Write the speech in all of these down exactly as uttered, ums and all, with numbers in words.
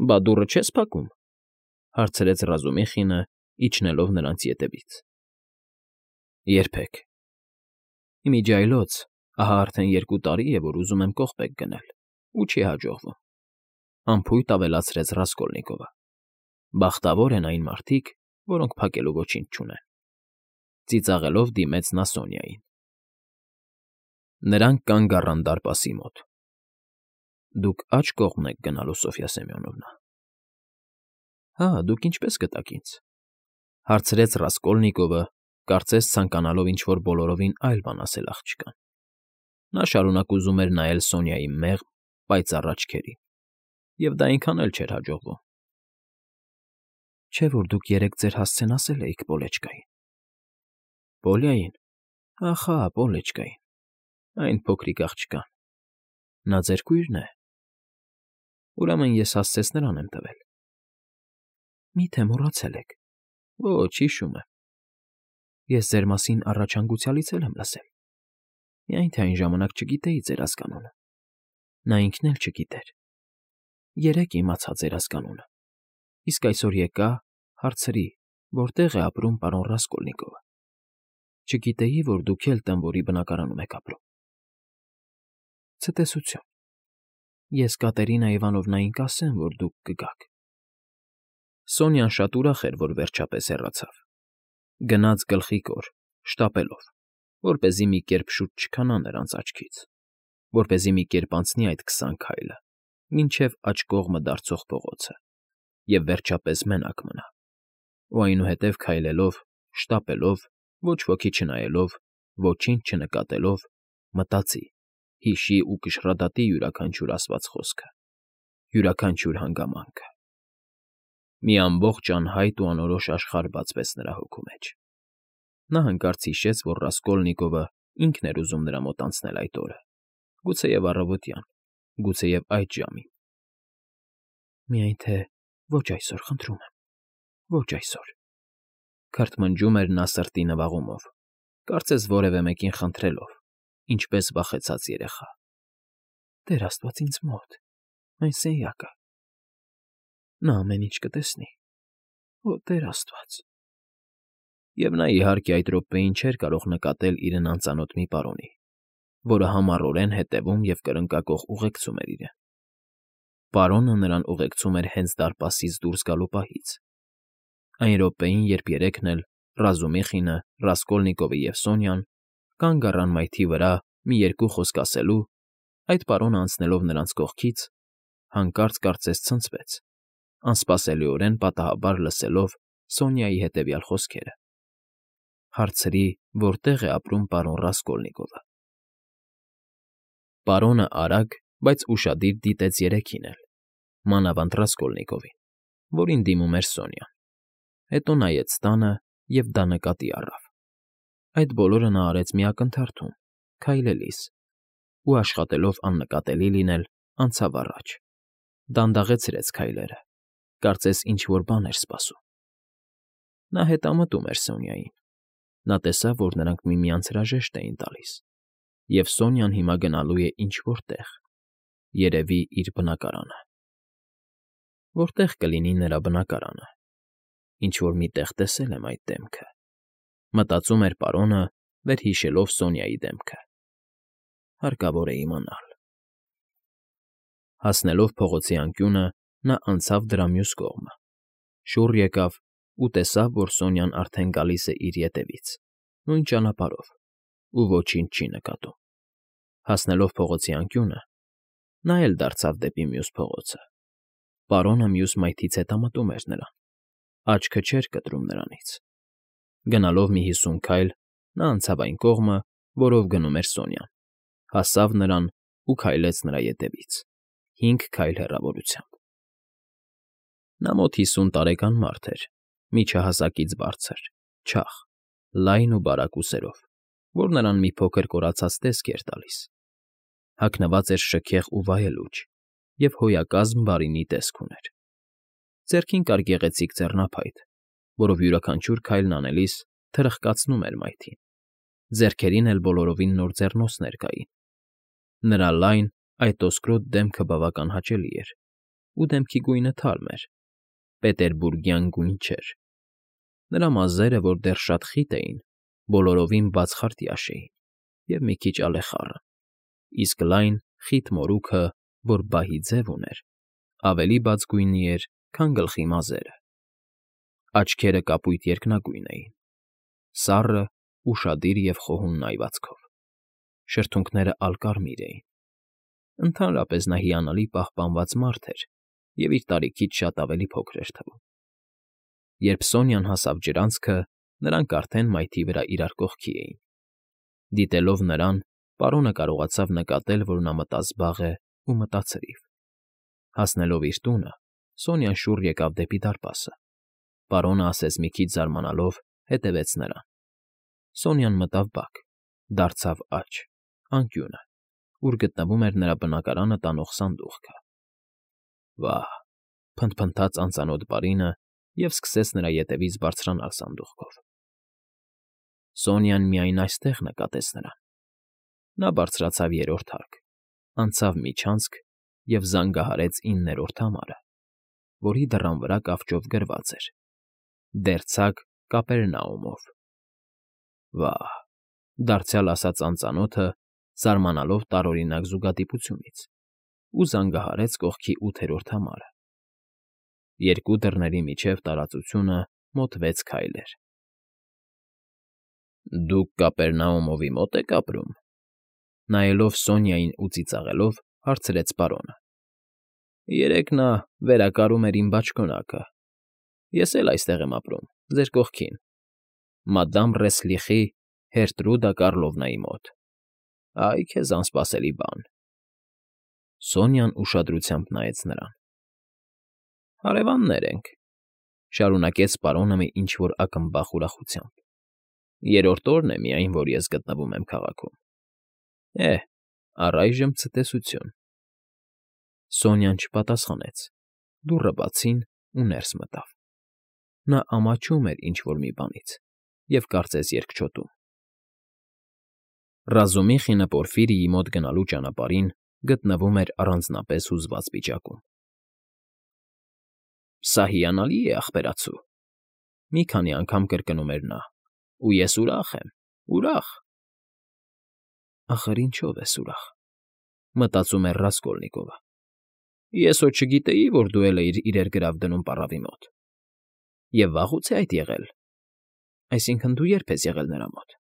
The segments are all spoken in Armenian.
Բա դուռը չե՞ս փակում,֊ հարցրեց Ռազումիխինը, իջնելով նրանց ետևից։ Երբեք։ Ի միջի այլոց ահա արդեն երկու տարի է, որ ուզում եմ կողպեք գնել, ու չի հաջողվում,֊ անփույթ ավելացրեց Ռասկոլնիկովը։ Բախտավոր են այն մարդիկ, որոնք փակելու ոչինչ չունեն,֊ ծիծաղելով դիմեց նա Սոնյային։ Նրանք կանգ առան դարպասի մոտ։ Դուք աջ կողմն եք գնալու, Սոֆյա Սեմյոնովնա։ Հա, դուք ինչպես գտաք ինձ,֊ հարցրեց Ռասկոլնիկովը, կարծես ցանկանալով ինչ֊որ բոլորովին այլ բան ասել աղջկան։ Նա շարունակ ուզում էր նայել Սոնյայի մեղմ, պայծառ աչքերին, և դա այնքան էլ չէր հաջողվում։ Չէ՞ որ դուք երեկ ձեր հասցեն ասել էիք Պոլեչկային։ Պոլիային, ախա, Պոլեչկային, այն փոքրիկ աղջկան, նա ձեր կույրն է։ Ուրեմն ես հասցես նրան եմ տվել։ Մի՞թե մոռացել եք։ Ոչ, հիշում եմ։ Ես ձեր մասին առաջ հանգուցյալից էլ եմ լսել, միայն թե այն ժամանակ չգիտեի ձեր ազգանունը։ Նա ինքն էլ չգիտեր։ Երեկ իմացա ձեր ազգանունը, իսկ այսօր եկա, հարցրի, որտեղ է ապրում պարոն Ռասկոլնիկովը։ Չգիտեի, որ դուք էլ տանվորի բնակարանում եք ապրում։ Ցտեսություն։ Ես Կատերինա Իվանովնային կասեմ, որ դուք կգաք։ Սոնյան շատ ուրախ էր, որ վերջապես հեռացավ։ Գնաց գլխիկոր, շտապելով, որպեսզի մի կերպ շուտ չքանա նրանց աչքից, որպեսզի մի կերպ անցնի այդ քսան քայլը, մինչև աջ կողմը դարձող փողոցը, և վերջապես մենակ մնա, ու այնուհետև քայլելով, շտապելով, ոչ ոքի չնայելով, ոչինչ չնկատելով, մտածի, հիշի ու կշռադատի յուրաքանչյուր ասված խոսքը, յուրաքանչյուր հանգամանքը։ Մի ամբողջ անհայտ ու անորոշ աշխարհ բացվեց նրա հոգու մեջ։ Նա հանկարծ հիշեց, որ Ռասկոլնիկովը ինքն էր ուզում նրա մոտ անցնել այդ օրը, գուցեև առավոտյան, գուցեև այդ ժամին։ Միայն թե ոչ այսօր, խնդրում եմ, ոչ այսօր,֊ քրթմնջում էր նա սրտի նվաղումով, կարծես որևէ մեկին խնդրելով, ինչպես վախեցած երեխա։ Տեր աստված ինձ մոտ, այն սենյակը… Նա ամեն ինչ կտեսնի, օ, Տեր աստված… Եվ նա, իհարկե, այդ րոպեին չէր կարող նկատել իրեն անծանոթ մի պարոնի, որը համառորեն հետևում և կրկնակոխ ուղեկցում էր իրեն։ Պարոնը նրան ուղեկցում էր հենց դարպասից դուրս գալու պահից։ Այն րոպեին, երբ երեքն էլ՝ Ռազումիխինը, Ռասկոլնիկովը և Սոնյան, կանգ առան մայթի վրա մի երկու խոսք ասելու, այդ պարոնը անցնելով նրանց կողքից, հանկարծ կարծես ցնցվեց, անսպասելիորեն պատահաբար լսելով Սոնյայի հետևյալ խոսքերը. Հարցրի, որտեղ է ապրում պարոն Ռասկոլնիկովը։ Պարոնը արագ, բայց ուշադիր դիտեց երեքին էլ, մանավանդ Ռասկոլնիկովին, որին դիմում էր Սոնյան, հետո նայեց տանը և դա նկատի առավ։ Այդ բոլորը նա արեց մի ակնթարթում, քայլելիս, ու աշխատելով աննկատելի լինել, անցավ առաջ, դանդաղեցրեց քայլերը, կարծես ինչ֊որ բան էր սպասում։ Նա հետամտում էր Սոնյային։ Նա տեսավ, որ նրանք միմյանց հրաժեշտ էին տալիս, և Սոնյան հիմա գնալու է ինչ֊որ տեղ, երևի իր բնակարանը։ Որտե՞ղ կլինի նրա բնակարանը։ Ինչ֊որ մի տեղ տեսել եմ այդ դեմքը, մտածում էր պարոնը, վերհիշելով Սոնյայի դեմքը։ Հարկավոր է իմանալ։ Հասնելով փողոցի անկյունը, նա անցավ դրա մյուս կողմը, շուռ եկավ ու տեսավ, որ Սոնյան արդեն գալիս է իր ետևից, նույն ճանապարհով, ու ոչինչ չի նկատում։ Հասնելով փողոցի անկյունը, նա էլ դարձավ դեպի մյուս փողոցը։ Պարոնը մյուս մայթից հետամտում էր նրան, աչքը չէր կտրում նրանից։ Գնալով մի հիսուն քայլ, նա անցավ այն կողմը, որով գնում էր Սոնյան, հասավ նրան ու քայլեց նրա ետևից, հինգ քայլ հեռավորությամբ։ Նա մոտ հիսուն տարեկան մարդ էր, միջահասակից բարձր, չաղ, լայն ու բարակ ուսերով, որ նրան մի փոքր կորացած տեսք էր տալիս։ Հագնված էր շքեղ ու վայելուչ և հոյակազմ բարինի տեսք ուներ։ Ձեռքին կար գեղեցիկ ձեռնափայտ, որով յուրաքանչյուր քայլն անելիս թրխկացնում էր մայթին, ձեռքերին էլ բոլորովին նոր ձեռնոցներ կային։ Նրա լայն, այտոսկրոտ դեմքը բավական հաճելի էր, ու դեմքի գույնը թարմ էր, պետերբուրգյան գույն չէր. նրա մազերը, որ դեռ շատ խիտ էին, բոլորովին բացխարտյաշ էին և մի քիչ ալեխառը, իսկ լայն, խիտ մորուքը, որ բահի ձև ուներ, ավելի բաց գույնի էր, քան գլխի մազերը. աչքերը կապույտ երկնագույն էին, սառը, ուշադիր և խոհուն այվածքով, շրթունքները ալկարմիր էին. ընդհանրապես նա հիանալի պահպանված մարդ էր և իր տարիքից շատ ավելի փոքր էր թվում. Երբ Սոնյան հասավ ջրանցքը, նրանք արդեն մայթի վրա իրար կողքի էին. դիտելով նրան, պարոնը կարողացավ նկատել, որ նա մտազբաղ է ու մտացրիվ. հասնելով իր տունը, Սոնյան շուռ եկավ դեպի դարպասը. պարոնը ասես մի քիչ զարմանալով, հետևեց նրան. Սոնյան մտավ բակ, դարձավ աջ, անկյունը, ուր գտնվում էր նրա բնակարանը տանող սանդուղքը. «Վա՜հ,֊ փնթփնթաց անծանոթ պարինը և սկսեց նրա ետևից բարձրանալ սանդուղքով»։ Սոնյան միայն այստեղ նկատեց նրան. նա բարձրացավ երրորդ հարկ, անցավ միջանցք և զանգահարեց իններորդ համարը, որի դռան վրա կավճով գրված էր. «Դերձակ Կապերնաումով»։ «Վա՜հ,֊ դարձյալ ասաց անծանոթը, զարմանալով տարօրինակ զուգադիպությունից, ու զանգահարեց կողքի ութերորդ համարը. երկու դռների միջև տարածությունը մոտ վեց քայլ էր։ «Դուք Կապերնաումովի մո՞տ եք ապրում,֊ նայելով Սոնյային ու ծիծաղելով, հարցրեց պարոնը։ «Երեկ նա վերակարում էր իմ բաճկոնակը, ես էլ այստեղ եմ ապրում, ձեր կողքին, մադամ Ռեսլիխի, Հերտրուդա Կառլովնայի մոտ։ Ա՜յ քեզ անսպասելի բան»։ Սոնյան ուշադրությամբ նայեց նրան։ «Հարևաններ ենք,֊ շարունակեց պարոնը մի ինչ֊որ ակմբախ ուրախությամբ։ «Երրորդ օրն է միայն, որ ես գտնվում եմ քաղաքում։ Է՜, առայժմ ցտեսություն»։ Սոնյան չպատասխանեց, դուռը բացին ու ներս մտավ. նա ամաչում էր ինչ֊որ մի բանից և կարծես երկչոտում։ Ռազումիխինը Պորֆիրիի մոտ գնալու ճանապարհին գտնվում էր առանձնապես հուզված վիճակում։ «Սա հիանալի է, ախպերացու,֊ մի քանի անգամ կրկնում էր նա,֊ ու ես ուրախ եմ, ուրախ»։ «Ախր ինչո՞վ ես ուրախ,֊ մտածում էր Ռասկոլնիկովը։֊ Ես հո չգիտեի, որ դու էլ էիր իրեր գրավ դնում պառավի մոտ։ Եվ վաղուց է այդ եղել, այսինքն՝ դու ե՞րբ ես եղել նրա մոտ։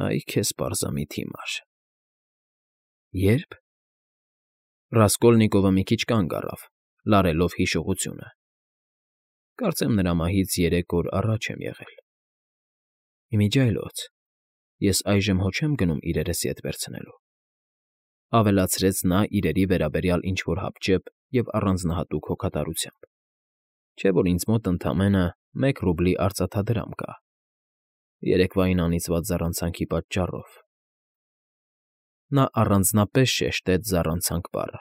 Ա՜յ քեզ պարզամիտ հիմար… Ե՞րբ…» Ռասկոլնիկովը մի քիչ կանգ առավ, լարելով հիշողությունը։ «Կարծեմ նրա մահից երեք օր առաջ եմ եղել։ Ի միջի այլոց, ես այժմ հո չեմ գնում իրերս ետ վերցնելու,֊ ավելացրեց նա իրերի վերաբերյալ ինչ֊որ հապճեպ և առանձնահատուկ հոգատարությամբ,֊ չէ՞ որ ինձ մոտ ընդամենը մեկ ռուբլի արծաթադրամ կա, երեկվային անիծված զառանցանքի պատճառով…» Նա առանձնապես շեշտեց զառանցանք բառը։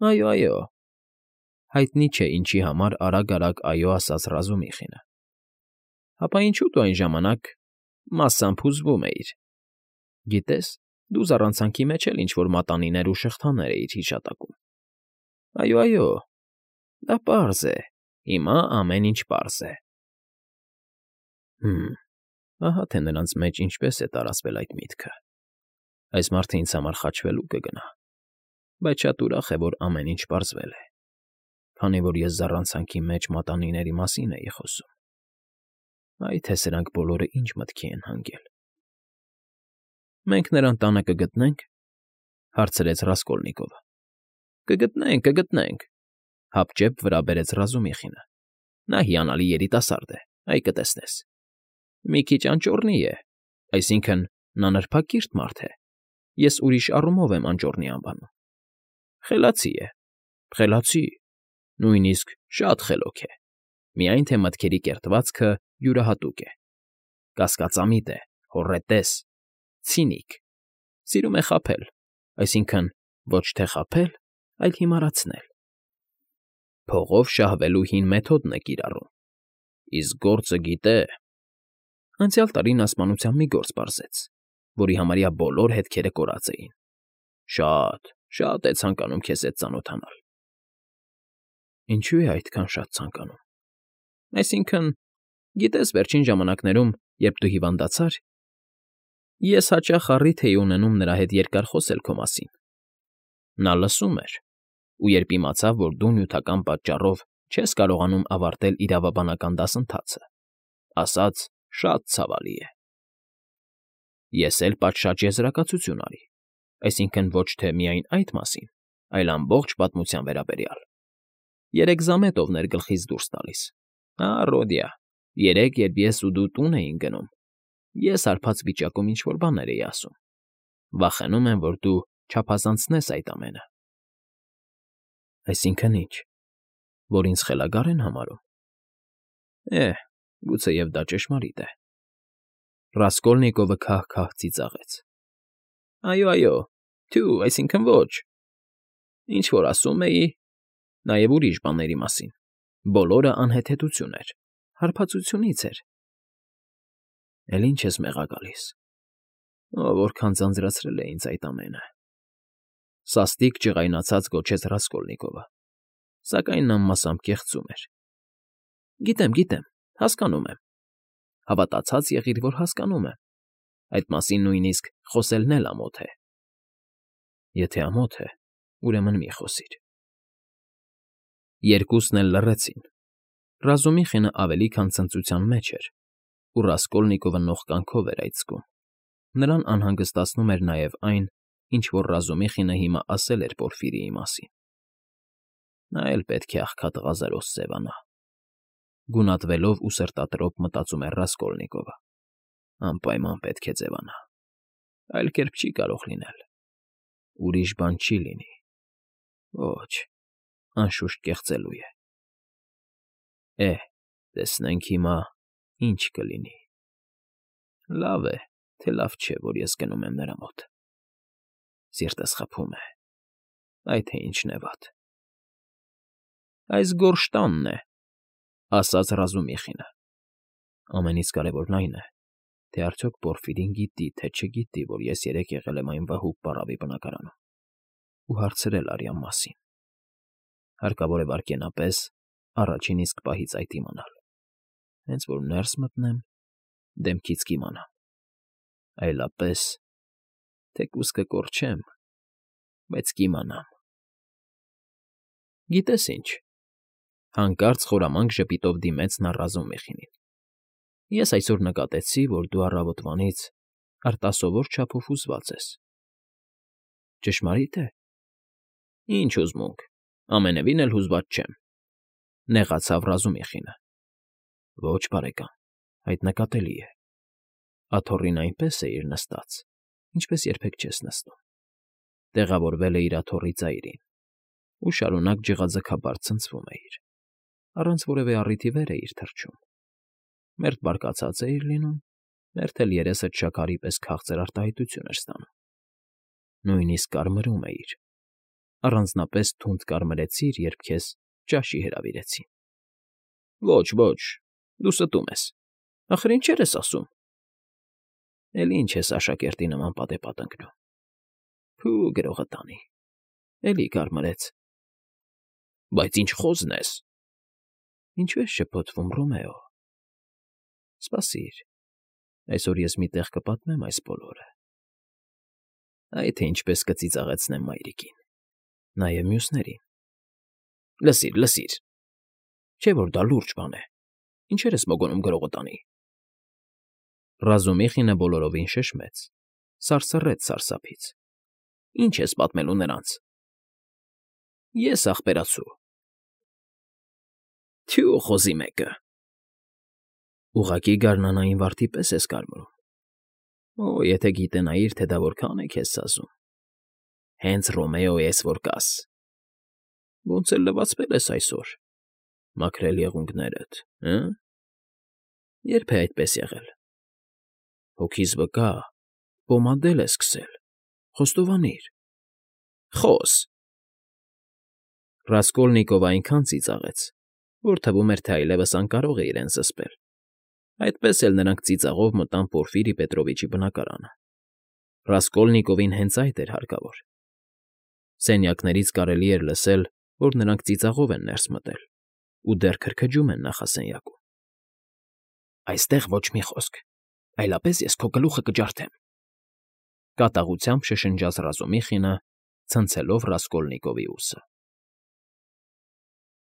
«Այո, այո…» Հայտնի չէ ինչի համար արագ֊արագ «այո» ասաց Ռազումիխինը։ «Հապա ինչու դու այն ժամանակ մասամբ հուզվում էիր… Գիտես, դու զառանցանքի մեջ էլ ինչ֊որ մատանիներ ու շղթաներ էիր հիշատակում… Այո, այո… Դա պարզ է, հիմա ամեն ինչ պարզ է…»։ Հը՜մ, ահա թե նրանց մեջ ինչպես է տարածվել այդ միտքը… Այս մարդը ինձ համար խաչվելու կգնա… Բայց շատ ուրախ է, որ ամեն ինչ պարզվել է, քանի որ ես զառանցանքի մեջ մատանիների մասին էի խոսում… Այ թե սրանք բոլորը ինչ մտքի են հանգել… «Մենք նրան տանը կգտնե՞նք,֊ հարցրեց Ռասկոլնիկովը։ «Կգտնենք, կգտնենք,֊ հապճեպ վրա բերեց Ռազումիխինը։ Նա հիանալի երիտասարդ է, այ կտեսնես… Մի քիչ անճոռնի է, այսինքն՝ նա նրբակիրթ մարդ է, ես ուրիշ առումով եմ անճոռնի անվանում… Խելացի է, խելացի, նույնիսկ շատ խելոք է, միայն թե մտքերի կերտվածքը յուրահատուկ է, կասկածամիտ է, հոռետես, ցինիկ, սիրում է խաբել, այսինքն՝ ոչ թե խաբել, այլ հիմարացնել… Փողով շահվելու հին մեթոդն է կիրառում, իսկ գործը գիտե… Անցյալ տարի նա սպանության մի գործ պարզեց, որի համարյա բոլոր հետքերը կորած էին… Շատ, Շատ է ցանկանում քեզ հետ ծանոթանալ։ Ինչու է այդքան շատ ցանկանում։ Այսինքն, գիտես, վերջին ժամանակներում, երբ դու հիվանդացար, ես հաճախ առիթ էի ունենում նրա հետ երկար խոսել քո մասին։ Նա լսում էր, ու երբ իմացավ, որ դու նյութական պատճառով չես կարողանում ավարտել իրավաբանական դասընթացը, ասաց. «Շատ ցավալի է»։ Ես էլ պատշաճ եզրակացություն արի, այսինքն ոչ թե միայն այդ մասին, այլ ամբողջ պատմության վերաբերյալ։ Երեք զամետովներ գլխից դուրս տալիս։ Հա, Ռոդիա, երեք, երբ ես ու դու տուն էինք գնում, ես հարբած վիճակում ինչ֊որ բաներ էի ասում։ Վախենում եմ, որ դու չափազանցնես այդ ամենը։ Այսինքն ի՞նչ, որ ինձ խելագա՞ր են համարում։ Է, գուցեև դա ճշմարիտ է։ Ռասկոլնիկովը քահ֊քահ ծիծաղեց։ Այո, այո, թյու, այսինքն ոչ։ Ինչ որ ասում էի, նաև ուրիշ բաների մասին, բոլորը անհեթեթություն էր, հարբածությունից էր։ Էլ ինչ ես մեղա գալիս։ Ո, որքան ձանձրացրել է ինձ այդ ամենը։ Սաստիկ ջղայնացած գոչեց Ռասկոլնիկովը, սակայն նա մասամբ կեղծում էր։ Գիտեմ, գիտեմ, հասկանում եմ։ Հավատացած եղիր, որ հասկանում եմ։ Այդ մասին նույնիսկ խոսելն էլ ամոթ է։ Եթե ամոթ է, ուրեմն մի խոսիր։ Երկուսն էլ լռեցին։ Ռազումիխինը ավելի քան ցնծության մեջ էր, ու Ռասկոլնիկովը նողկանքով էր այդ զգում։ Նրան անհանգստացնում էր նաև այն, ինչ որ Ռազումիխինը հիմա ասել էր Պորֆիրիի մասին։ Նա էլ պետք է աղքատղազարոս սևանա։ Գունատվելով ու սրտատրոփ մտածում էր Ռասկոլնիկովը։ Անպայման պետք է ձևանա։ Այլ կերպ չի կարող լինել։ Ուրիշ բան չի լինի։ Ոչ, անշուշտ կեղծելու է։ Է, տեսնենք հիմա ինչ կլինի։ Լավ է, թե լավ չէ, որ ես գնում եմ նրա մոտ։ Սիրտս խփում է։ Այ թե ինչն է վատ։ Այս գորշ տանն է, ասաց Ռազումիխինը։ Ամենից կարևորն այն է, թե արդյոք Պորֆիրին գիտի, թե չգիտի, որ ես երեկ եղել եմ այն վհուկ պառավի բնակարանում ու հարցրել արյան մասին։ Հարկավոր է վայրկենապես առաջին իսկ պահից այդ իմանալ։ Հենց որ ներս մտնեմ, դեմքից կիմանամ։ Այլապես, թեկուզ կկորչեմ, բայց կիմանամ։ Գիտես ինչ, հանկարծ խորամանկ ժպիտով դիմեց նա Ռազումիխինին։ Ես այսօր նկատեցի, որ դու առավոտվանից արտասովոր չափով հուզված ես։ Ճշմարի՞տ է։ Ինչ հուզմունք, ամենևին էլ հուզված չեմ, նեղացավ Ռազումիխինը։ Ոչ, բարեկամ, այդ նկատելի է։ Աթոռին այնպես է իր նստած, ինչպես երբեք չես նստում։ Տեղավորվել է իր աթոռի ծայրին ու շարունակ ջղաձգաբար ցնցվում է իր, առանց որևէ առիթի վեր է իր թռչում։ Մերթ բարկացած է իր լինում, մերթ էլ երեսը շաքարի պես քաղցր արտահայտություն էր ստանում։ Նույնիսկ կարմրում է իր, առանձնապես թունդ կարմրեցիր, երբ քեզ ճաշի հրավիրեցին։ Ոչ, ոչ, դու ստում ես։ Ախր ինչեր ես ասում։ Էլ ինչ ես աշակերտի նման պատեպատ ընկնում։ Փու գրողը տանի։ Էլի կարմրեց։ Բայց ինչ խոզն ես։ Ինչու ես շփոթվում, Ռոմեո։ Սպասիր, այսօր ես մի տեղ կպատմեմ այս բոլորը։ Այ թե ինչպես կծիծաղեցնեմ մայրիկին, նաև մյուսներին։ Լսիր, լսիր։ Չէ՞ որ դա լուրջ բան է։ Ինչեր ես մոգոնում գրողը տանի։ Ռազումիխինը բոլորովին շշմեց, սարսռեց սարսափից։ Ինչ ես պատմելու նրանց։ Ես ախպերացու։ Թյու խոզի մեկը։ Ուղղակի գարնանային վարդի պես ես կարմրում։ Օ, եթե գիտենայիր, թե դա որքան է քեզ սազում։ Հենց Ռոմեո ես, որ կաս։ Ոնց էլ լվացվել ես այսօր։ Մաքրել եղունգներդ, հը՞։ Երբ է այդպես եղել։ Հոգիս վկա, պոմադել է սկսել։ Խոստովանիր։ Խոս։ Ռասկոլնիկովը այնքան ծիծաղեց, որ թվում էր, թե այլևս անկարող է իրեն զսպել։ Այդպես էլ նրանք ծիծաղով մտան Պորֆիրի Պետրովիչի բնակարանը։ Ռասկոլնիկովին հենց այդ էր հարկավոր։ Սենյակներից կարելի էր լսել, որ նրանք ծիծաղով են ներս մտել ու դեռ քրքջում են նախասենյակում։ ֊ Այստեղ ոչ մի խոսք, այլապես ես քո գլուխը կջարդեմ,֊ կատաղությամբ շշնջաց Ռազումիխինը, ցնցելով Ռասկոլնիկովի ուսը։